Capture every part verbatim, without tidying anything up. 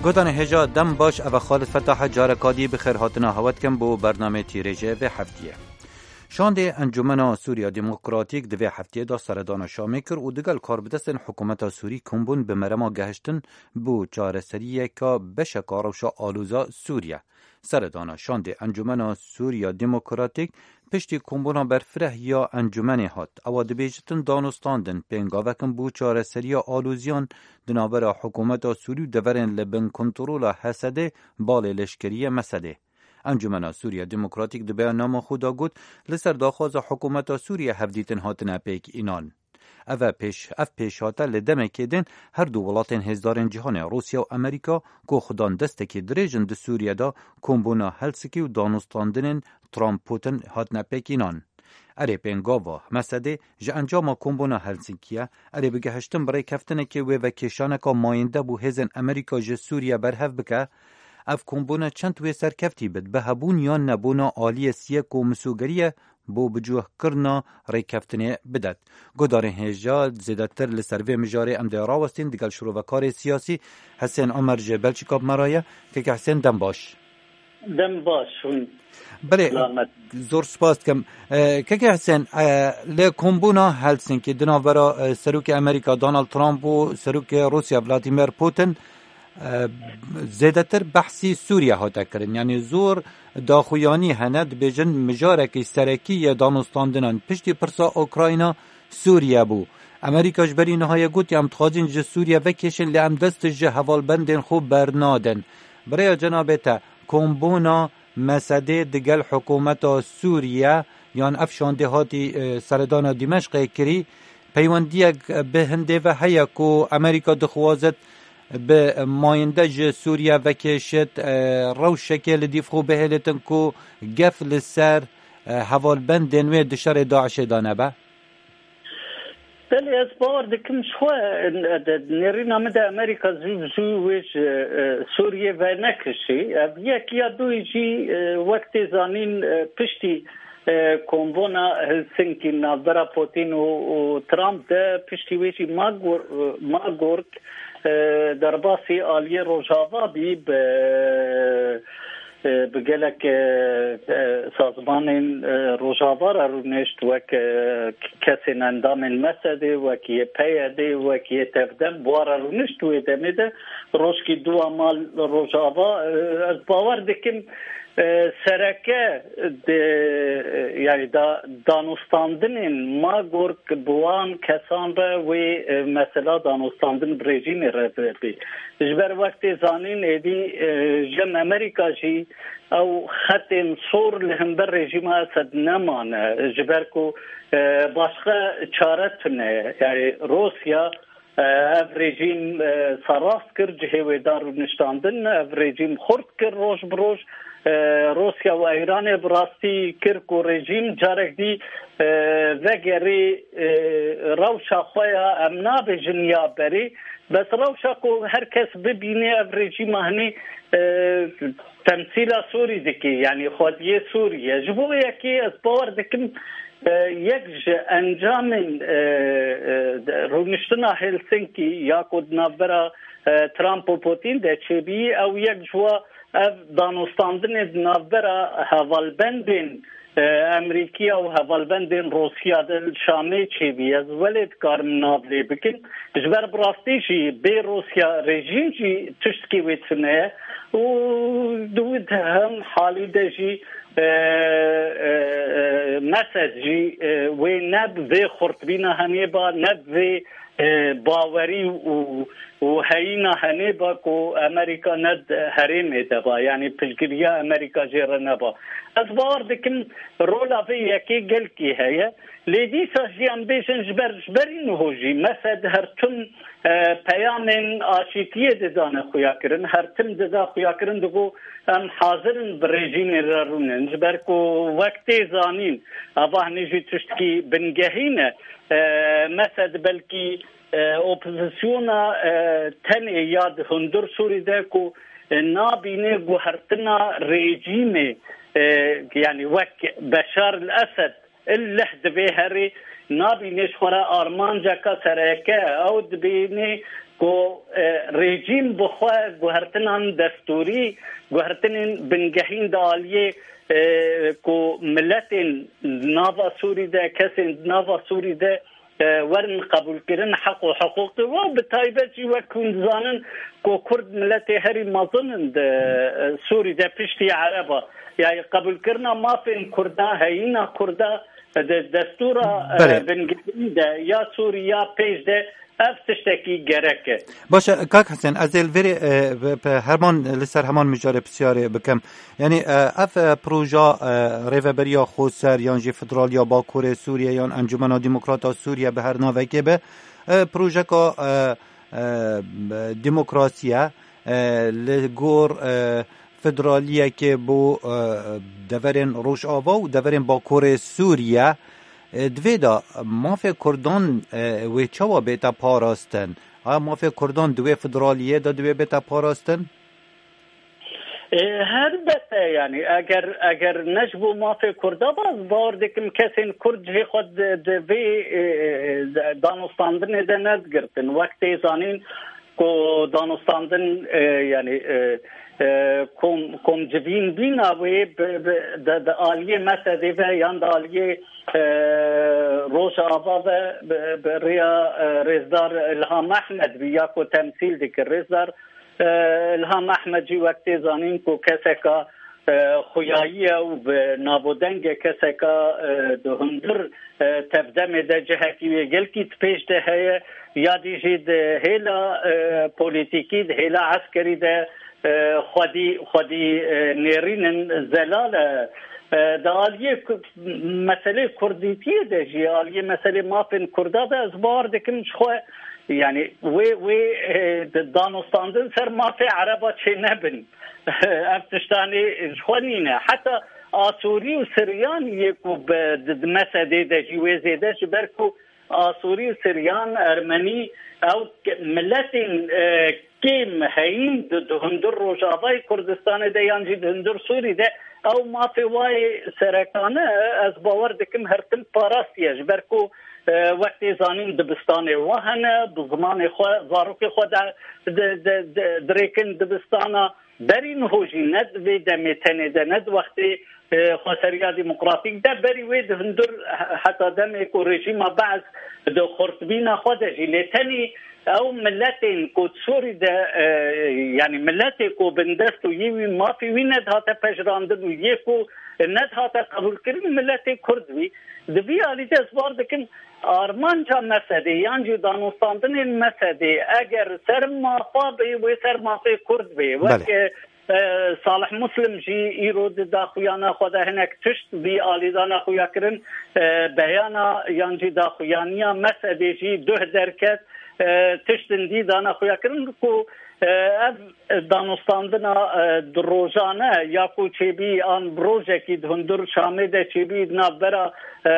Gotanê hêja dem baş, ev e Xalid Fetah e, careka dî bi xêr hatina hewe dikim bo bernamê tîrêjê vê heftiyê. Şandê Encûmena Sûriya Demokratîk di vê heftiyê de seredana Şamê kir û digel karbidestên hikûmeta Sûrî kombûn bi merema gehiştin bo çareseriyeka beşeka rewşa aloza Sûriye. Seredana şandê Encûmena Sûriya Demokratîk piştî kombûna berfireh ya encûmenê hat. Ewa dibêjitin danûstandin pêngavek in bo çareseriya aloziyan di navbera hikûmeta Sûrî û deverên li bin kontrola Hesedê balê leşkerî ye Mesedê. Encûmena Sûriya Demokratîk di beyannama xwe de got, li ser daxwaza hikûmeta Sûriye hevdîtin hatine pêk înan. Ev e pêş, ev pêşhate li demekê din her du welatên hêzdarên cîhanê Rûsya û Amerîka ku xudan destekî dirêj in di Sûriye de, kombûna Helsinkî û danûstandinên Trump-Putin hatine pêk înan. Erê pêngava Mesedê ji encama kombûna Helsinkiye, erê bi gehiştin bi rêkeftinekê wê vekêşaneka mayînde bo hêzên Amerîka ji Sûriye berhev bike. Ev kombûna çend wê serkeftî bit, bi hebûn yan nebûna aliyê siyê ku misûgerî ye bo bicûhkirina rêkeftinê bidet. Guhdarên hêja, zêdetir li ser vê mijarê em dê rawestîn digel şirovekarê siyasî Hisên Omer ji Belçîka bi me re ye. Keke Hisên, dem baş. Dem baş, hûn Belê, selamet. Zor spas dikim. E, Keke Hisên, e, li kombûna Helsinkî di navbera, e, Serokê Amerîka Donald Trump û Serokê Rûsya Vladimir Putin, e, zêdetir behsî Sûriye hate kirin. Yanî zor daxuyanî hene, dibêjin mijarekî serekî yê danûstandinan piştî pirsa Ukrayna Sûriye bû. Amerîka ji berî niha ye gotiye, em dixwazin ji Sûriye vekêşin, lê em dest ji hevalbendên xwe bernadin. Bi rêya cenabê te, kombûna Mesedê digel hikûmeta Sûriye yan ev şandê hatî, e, seredana Dîmeşqê kirî, peywendiyek bi hindê ve heye ku Amerîka dixwazit bi mayînde ji Sûriye vekêşit, e, rewşekê li dîv xwe bihêlitin ku gef li ser, e, hevalbendên wê di şerê DAIŞê de nebe? Belê, ez bawer dikim ji xwe, e, de, nêrîna min de Amerîka zû bi zû wê ji, e, Sûriyê venekişî. Ev yek ya duyî jî, e, wek tê zanîn, e, piştî, e, kombûna Helsinki navbera Putin û, û Trump de, piştî wê jî Magor-, e, Magork, e, derbasî aliyê Rojava bî bi, e, bi gelek, e, e, sazmanên, e, Rojava re rûnişt, wek, e, kesên endamên Mesedê, wek yê PYDê, wek yê Tevdem, bi wan re rûnişt wê demê de, rojkî dû a mal Rojava, e, ez bawer dikim, e, sereke de, e, yani da, danûstandinên Magork bi wan kesan re wê, e, mesela danûstandin bi rejîmê re bê. Ji ber wek tê zanîn, êdî, e, jim Amerîka jî ew xetên sor li hember rejîma Esed nemane. Ji ber ku, e, başqa çare tune. Yani Rûsya, e, ev rejîm, e, serast kir, cihê wê da rûniştandin, ev rejîm xurt kir roj bi roj. E, Rûsya û Îranê bi rastî kir ku rejîm carek dî, e, vegerê, e, rewşa xwe ya, em nabêjin ya berê, bes rewşa ku her kes bibîne ev rejîma hinî, e, temsîla Sûrî dike, yanî xwediyê Sûrî ye. Ji bo yekê ez bawer dikim, e, yek ji encamên, e, e, de, rûniştina Helsinki ya ku di navbera, e, Trump û Putin de çêbî, ew yek ji wa ev danûstandinê di navbera hevalbendên, e, Amerîkiya û hevalbendên Rûsya de li Şamê çêbî. Ez welê dikarim nav lê bikim. Ji ber bi rastî jî bê Rûsya rejîm jî tiştkî wê tune ye û di wî hem halî de jî, e, e, e, Mesed jî, e, wê ne bi vê xurtbîna henêba, ne bi vê, e, bawerî û, û heyîna henêba ku Amerîka ne di herêmê de ba, yanî piştgiriya Amerîka jê re neba. Ez bawer dikim rola vê yekê gelkî heye. Lê dîsa jî em bêjin ji ber, ji berî niho jî Mesed her tim, e, peyamên aşîtiyê didane xuyakirin, her tim dida xuyakirin, digo em hazir in bi rejîmê re rûnin. Ji ber ku wek tê zanîn, ava hinî jî tiştkî bingehîn e. E, Mesed belkî, e, opozisyona, e, tenê ya di hundir Sûrî de ku, e, nabîne guhertina rejîmê, e, yanî wek Beşar el Esed, il leh divê herê, nabîne ji xwe re armanceka sereke, ew dibîne ku, e, rejîm bi xwe guhertinan destûrî, guhertinên bingehîn di aliyê, e, ku miletên nava Sûrî de, kesên nava Sûrî de, e, werin qebûlkirin, heq û hiqûqê wan, bi taybet jî wek hûn dizanin ku Kurd miletê herî mezin in di, e, Sûrî de piştî Ereba. Yani qebûlkirina mafên Kurda, heyîna Kurda di destûra, e, Belê. bingehîn de ya Sûrî ya pêş de ev tiştekî gerek e. Baş e, kak Hesen, ez ê li vêrê, e, bi, bi herman, li ser heman mijarê pisyarê bikim. Yani, e, ev, e, proja, e, rêveberiya xweser yan jî federaliya Bakurê Sûriye yan Encumena Demokrata Sûriye bi her navekê be, e, projeka, e, e, demokrasiye, e, li gor, e, federaliyekê bo, e, deverên Rojava û deverên Bakurê Sûriye. E, di vê de mafê Kurdan, e, wê çawa bête parastin? Aya mafê Kurdan di wê federaliyê de divê bête parastin? E, helbete, yani, eger, eger ne ji bo mafê Kurda be, ez bawer dikim kesên Kurd cihê xwe di, di vê, e, e, danûstandinê de nedigirtin. Wek tê zanîn ku danûstandin, e, yani, e, e, kom, komcivîn bîna wê bi, bi, di, di aliyê Mesedê ve yan di aliyê, e, Rojava ve bi, bi rêya, e, Rêzdar Ilham Ehmed bî ya ku temsîl dikir. Rêzdar, e, Ilham Ehmed jî wek tê zanîn ku keseka, e, xuyayî ye û bi navûdengê keseka, e, di hundir, e, tevdemê de cihekî wê gelkî di pêş de heye, ya dî jî di hêla, e, polîtîkî, di hêla eskerî de, e, xwedî, xwedî, e, nêrîn in, zelal e. E, di aliyê ku-, meselê kurdîtiyê de jî, aliyê meselê mafên Kurda de ez bawer dikim ji xwe, yani wê, wê, e, di danûstandin ser mafê Ereba çênebin. Ev tiştanê ji xwe nîne. Heta Asûrî û Siryan yê ku bi, di, di Mesedê de jî wê zêde, ji ber ku Asûrî û Siryan, Ermenî, ew ke-, miletên, e, kêm heyîn di, di hundir Rojavayê Kurdistanê de yan jî di hundir Sûrî de, ew mafê wayê serekane, ez bawer dikim her tim parastiye, ji ber ku, e, wek tê zanîn dibistanê wa hene, bi zimanê xwe, zarokê xwe de, de, de, de, dirêkin dibistana. Berî niho jî ne di vê demê tenê de, ne di wextê, e, xweseriya demokratîk de, berî wê di hundir he-, heta demê ku rejîma Be'es di xurtbîna xwe de jî, lê tenê ew miletên ku di Sûrî de, e, yani miletê ku bindest û yê wî mafê wî nedihate pejirandin û yê ku nedihate qebûlkirin, miletê Kurd bî. Di vî alî de ez bar dikim, armanca Mesedê yan jî danûstandinên Mesedê eger ser mafa bê, wê ser mafê Kurd bê. Wek, Belê. e, e, Salih Muslim jî îro di daxuyana xwe de hinek tişt vî alî dana xuya kirin. E, beyana yan jî daxuyaniya Mesedê jî duh derket, e, tiştin dî dana xuya kirin ku, e, ev danûstandina, e, du rojane ya ku çêbî an bi rojekî di hundir Şamê de çêbî di navbera, e,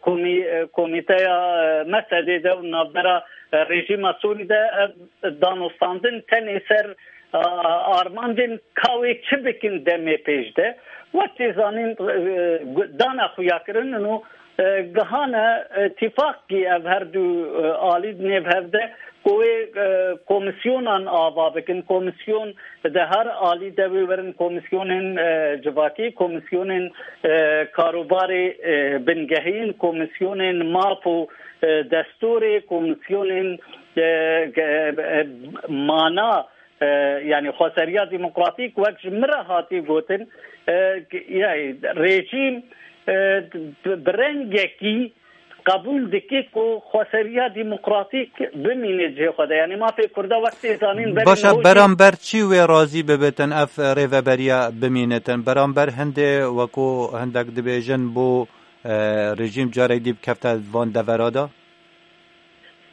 komî-, e, komîteya, e, Mesedê de û navbera, e, rejîma Sûrî de, e, danûstandin tenê ser, e, armancên ka wê çi bikin demê pêş de. Wek tê zanîn, e, dana xuya kirin û e, gihane, e, tîfaqkî ev her du, e, alî di nêv hev de ku wê, e, komisyonan ava bikin. Komisyon di her alî de wê werin komisyonên, e, civakî, komisyonên, e, karûbarê, e, bingehîn, komisyonên maf û, e, destûrê, komisyonên, e, ge-, e, mana, e, yani xweseriya demokratîk wek ji min re hatî gotin, e, yani rejîm, e, bi, bi rengekî qebûl dike ku xweseriya demokratîk bimîne cihê xwe de. Yani mafê Kurda wek tê zanîn berî Başa niho jî beramber çi wê razî bibitin ev rêveberiya bimînitin? Beramber hindê wekû hindek dibêjin bo, e, rejîm carek dî bikefte van devera de?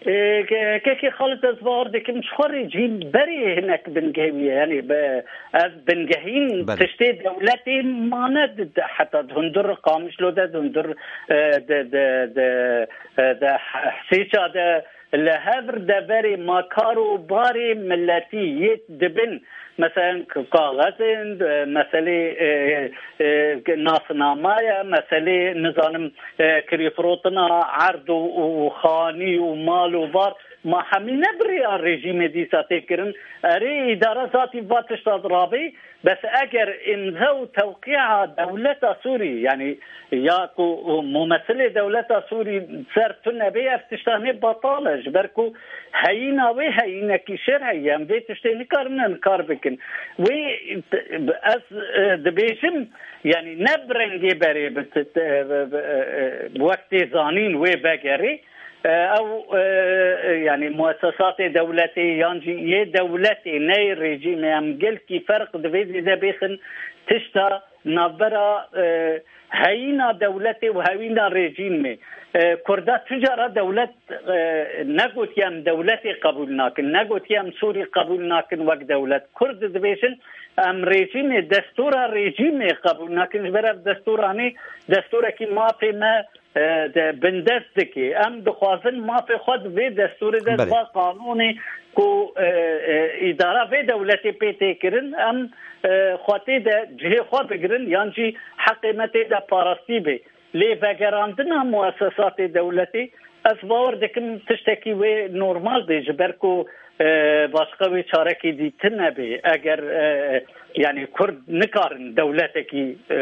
Ê, ke-, kekê Xalid, ez bawer dikim, ji xwe rê jî berê hinek bingehî ye. Yani bi, ev bingehîn Belê. tiştê dewletê mane di, di, heta di hundir Qamişlo de, di hundir, e, de, de, de, e, de Hesêça de, Li hev deverê ma kar û barê miletî yê dibin, meselen kaxezên, e, meselê, e, e, nasnamaya, meselê, nizanim, e, kirîfirotina erd û, û xanî û mal û var, ma hemî ne bi rêya rejîmê dîsa tê kirin. Erê, îdara zatî va tişta rabê, bes eger îmza û tewqîa dewleta Sûrî, yanî ya ku mumesilê dewleta Sûrî ser tune bê, ev tişta ne batal e, ji ber ku heyîna wê heyînekî şer heye, em vê tiştê nikarin inkar bikin. Wê, ez, e, dibêjim, yanî ne bi rengê berê bi, bi, bi, e, e, wek tê zanîn wê vegerê, e, ew, e, yanî muessesatê dewletê yan jî yê dewletê, ne yê rejîmê, em gelkî ferq divê zêde bêxin tişta navbera, e, heyîna dewletê û heyîna rejîmê. E, Kurda tu cara dewlet, e, negotiye em dewletê qebûl nakin, negotiye em Sûrî qebûl nakin wek dewlet. Kurd dibêjin em rejîmê, destûra rejîmê qebûl nakin, ji ber ev destûranê destûrekî mafê me, e, de bindest dike. Em dixwazin mafê xwe di vê destûrê de, Belê. di va qanûnê ku, e, e, îdara vê dewletê pê tê kirin, em, e, xwe tê de cihê xwe bigirin yan jî heqê me tê de parastî bê. Lê vegerandina muessesatê dewletê, ez bawer dikim tiştekî wê normal bê, ji ber ku, e, başqa wê çarekê dî tune bê. Eger, e, yanî Kurd nikarin dewletekî, e,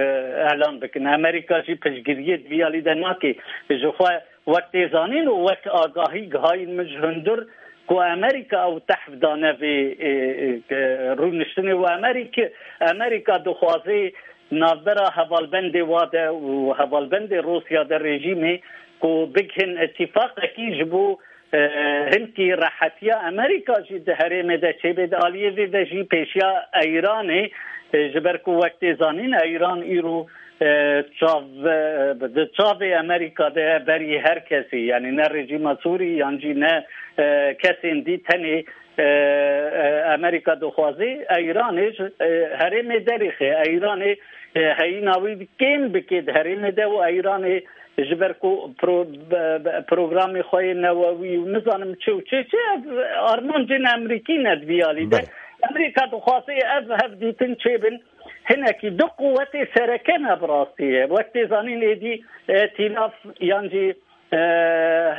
elan bikin. Amerîka jî piştgiriyê di vî alî de nake. Ji xwe wek tê zanîn û wek agahî gihayîn min ji hundir ku Amerîka ew tehf dane vê, e, e, e, rûniştinê û Amerîka, Amerîka dixwaze navbera hevalbendê wa de û hevalbendê Rûsya de rejîmê ku bigihin îtîfaqekî ji bo, e, hinkî rehetiya Amerîka jî di herêmê de çêbê, di aliyê vê de jî pêşiya Eyranê, e, ji ber ku wek tê zanîn Eyran îro, e, çav, e, di çavê Amerîka de ye berî her kesî, yanî ne rejîma Sûrî yan jî ne, e, kesên dî, tenê, e, e, Amerîka dixwaze Eyranê ji, e, herêmê derêxe, Eyranê, e, heyîna wî kêm bike di herêmê de û Eyranê ji ber ku pro-, be-, be-, programê xwe yê newewî û nizanim çi û çi, çi ev armancên Amerîkî ne di vî alî de. Belê. Amerîka dixwaze ev hevdîtin çêbin. Hinekî du quwetê sereke ne bi rastî ye. Wek tê zanîn êdî, e, tîlaf yan jî, e,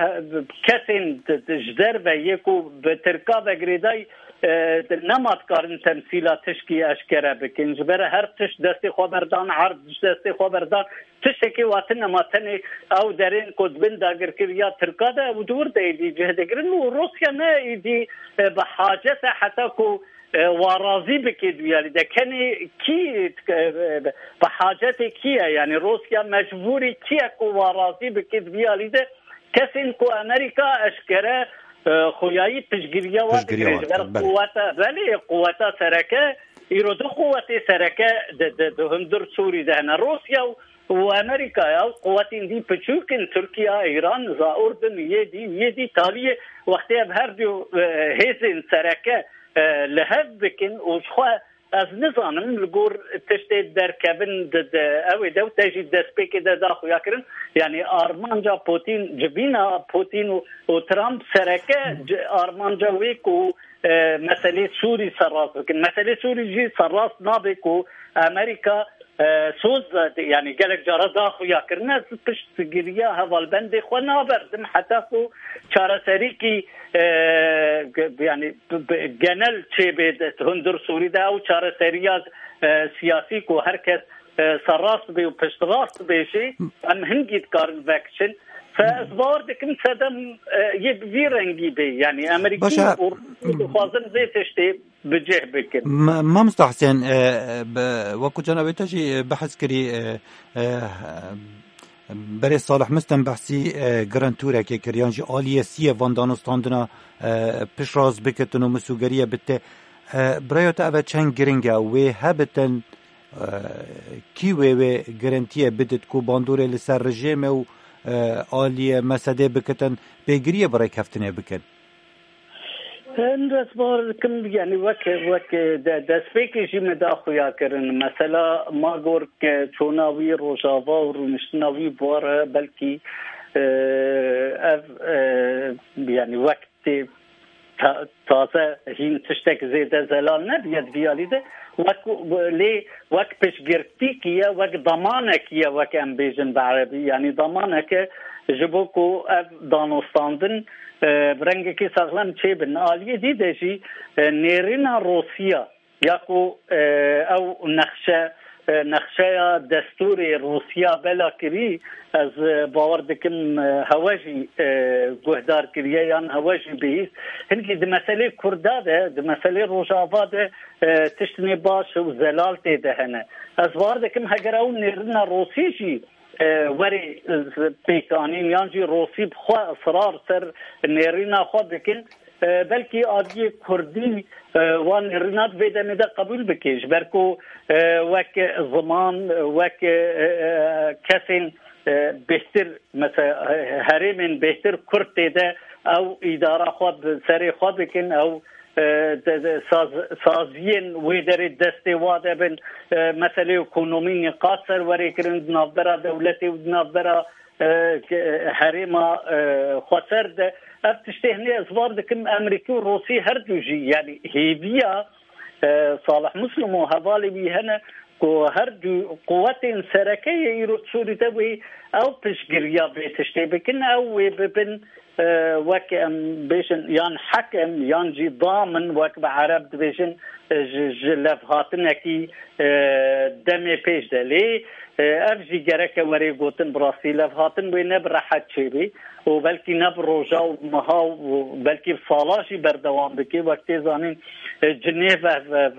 he-, kesên di, di, ji derve yê ku bi Tirka ve girêdayî, e, nema dikarin temsîla tişkî eşkere bikin. Ji ber her tişt destê xwe berdan, erd ji destê xwe berdan, tiştekî wa tune ma tenê ew derên ku di bin dagirkeriya Tirka de û di wir de êdî cih digirin û Rûsya ne êdî, e, bi hacet e heta ku, e, wa razî bike di vî alî de. Kenê kî, e, bi hacetê kî ye? Yanî Rûsya mecbûrî kî ye ku wa razî bike di vî alî de? Kesên ku Amerîka eşkere, e, xuyayî piştgiriya wa Piştgiriya digire, wa ji ber dike, belê. quweta, belê, quweta sereke, îro du quwetê sereke di, di, di hundir Sûrî de hene. Rûsya û, û Amerîka ya, û quwetên dî piçûk in, Tirkiye, Îran, za Urdun, yê dî, yê dî taliyê wextê ev her du, e, hêzên sereke, e, li hev bikin û ji xwe ez nizanim li gor tiştê derkevin di, di, ew ê de û te jî destpêkê de da xuya kirin. Yanî armanca Putin, civîna Putin û, û Trump sereke ci-, armanca wê ku, e, meselê Sûrî serrast bikin. Meselê Sûrî jî serrast nabe ku Amerîka, e, soz, yanî gelek cara da xuya kirine, ez piştgiriya hevalbendê xwe naberdim heta ku çareserîkî, e, ge-, yanî b-, b-, genel çêbê di hundir Sûrî de ew çareseriya, e, siyasî ku her kes, e, serrast bê û piştrast bêjê, em hingî dikarin vekiçin. Fe ez bawer dikim sedem, e, yê bi vî rengî bê. Yanî Amerîkî Başa. û Rûsî dixwazin vê tiştê bi cih bikin. Ma-, Mamosta Husên, e, bi, wekû cana wê te jî, e, behs kirî, e, e, berê Salih Mistin behsî, e, girintûrekê kir, yan jî aliyê siyê van danûstandina, e, piştrast bikitin û misûgeriye bite. E, bi raya te ev e çend giring e, wê hebitin, e, kî wê wê girintiyê bidit ku bandorê li ser rejîmê û, e, aliyê Mesedê bikitin, pêgiriyê bi rêkeftinê bikin? Hin ez bawer dikim, yanî wek, wek de, destpêkê jî me da xuya kirin. Mesela ma gor ke çona wî Rojava û rûniştina wî bi war e, belkî e, ev, e, yani wek tê ta-, taze hîn tiştek zêde zelal nebiye di vî alî de, wek, lê wek piştgirtîkî ye, wek damanekî ye, wek em bêjin bi erebî, yanî damaneke ji bo ku ev danostandin, e, bi rengekî saxlem çêbin. Aliyê dî de jî, e, nêrîna Rûsya ya ku, e, ew nexşe, e, nexşeya destûrê Rûsya bela kirî, ez, e, bawer dikim, e, hewe jî, e, guhdar kiriye yan hewe jî bihîst. Hinkî di meselê Kurda de, di meselê Rojava de, e, tiştinê baş û zelal tê de hene. Ez bawer dikim heger ew nêrîna Rûsî jî, e, werê, e, pêkanîn yan jî Rûsî bi xwe israr ser nêrîna xwe bikin, e, belkî aliyê Kurdî, e, wan nêrîna di vê demê de qebûl bike, ji ber ku, e, wek ziman, wek, e, e, kesên, e, bêhtir, mesela, e, herêmên bêhtir Kurd tê de ew îdara xwe bi serê xwe bikin, ew, e, de, de, saz-, saziyên wê derê destê wa de bin, e, meselê ekonomî nîqaş ser werê kirin di navbera dewletê û di navbera, e, ke-, herêma, e, xweser de. Ev tiştê hinê ez bar dikim, Emerîkî û Rûsî her du jî, yanî hêviya, e, Salih Muslim û hevalê wî hene ku her du quwetên sereke yê îro Sûrî de wê ew piştgiriya vê tiştê bikin, ew wê bibin, e, wek em bêjin, yan hekem, yan jî damin, wek bi ereb dibêjin, e, ji, ji levhatinekî, e, demê pêş de. Lê, e, ev jî gereke were gotin, bi rastî levhatin wê ne bi rehet çêbê û belkî ne bi roja û meha û belkî bi sala jî berdewam bike. Wek tê zanîn, e, Cinêv ev, ev,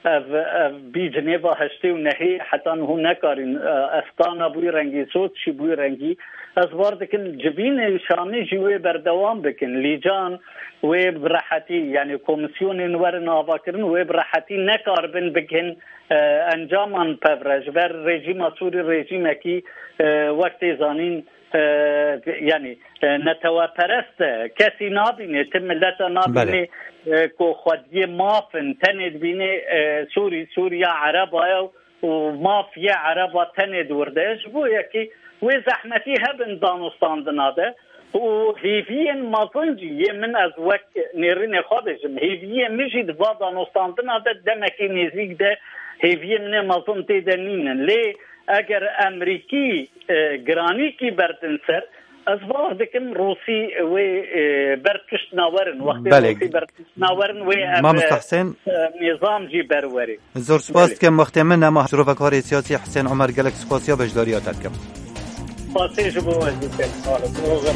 ev, ev bî Cinêva heştê û nehê heta niho nekarîn, e, Estana bûyî rengî, Soçî bûyî rengî. Ez bar dikim civînên Şamê jî wê berdewam bikin. Lîcan wê bi rehetî, yanî komîsyonên werin avakirin, wê bi rehetî nekaribin bikin, e, encaman pevre. Ji ber rejîma Sûrî rejîmekî, e, wek tê zanîn, e, yanî, e, neteweperest e. Kesî nabîne, ti mileta nabîne, e, ku xwediyê maf in. Tenê dibîne, e, Sûrî, Sûriya Ereba ye û maf yê Ereba tenê di wir de ye. Ji bo yekî wê zehmetî hebin danûstandina de û hêviyên mezin jî yê min, ez wek nêrînê xwe bêjim, hêviyê min jî di va danûstandina de demekî nêzîk de hêviyê min ê mezin tê de nînin. Lê eger Emerîkî, e, giranîkî berdin ser, ez bawer dikim Rûsî wê, e, ber pişt nawerin. Wextê Belê. Rûsî ber pişt nawerin, wê ev, Mamosta Husên. E, nîzam jî berwerê. Zor spas Belê. Dikim wextê min nema. Şirovekvarê siyasî Husên Omer, gelek spasiya beşdariya te dikim. Spasê ji bo we jî dikim. Sağ olun.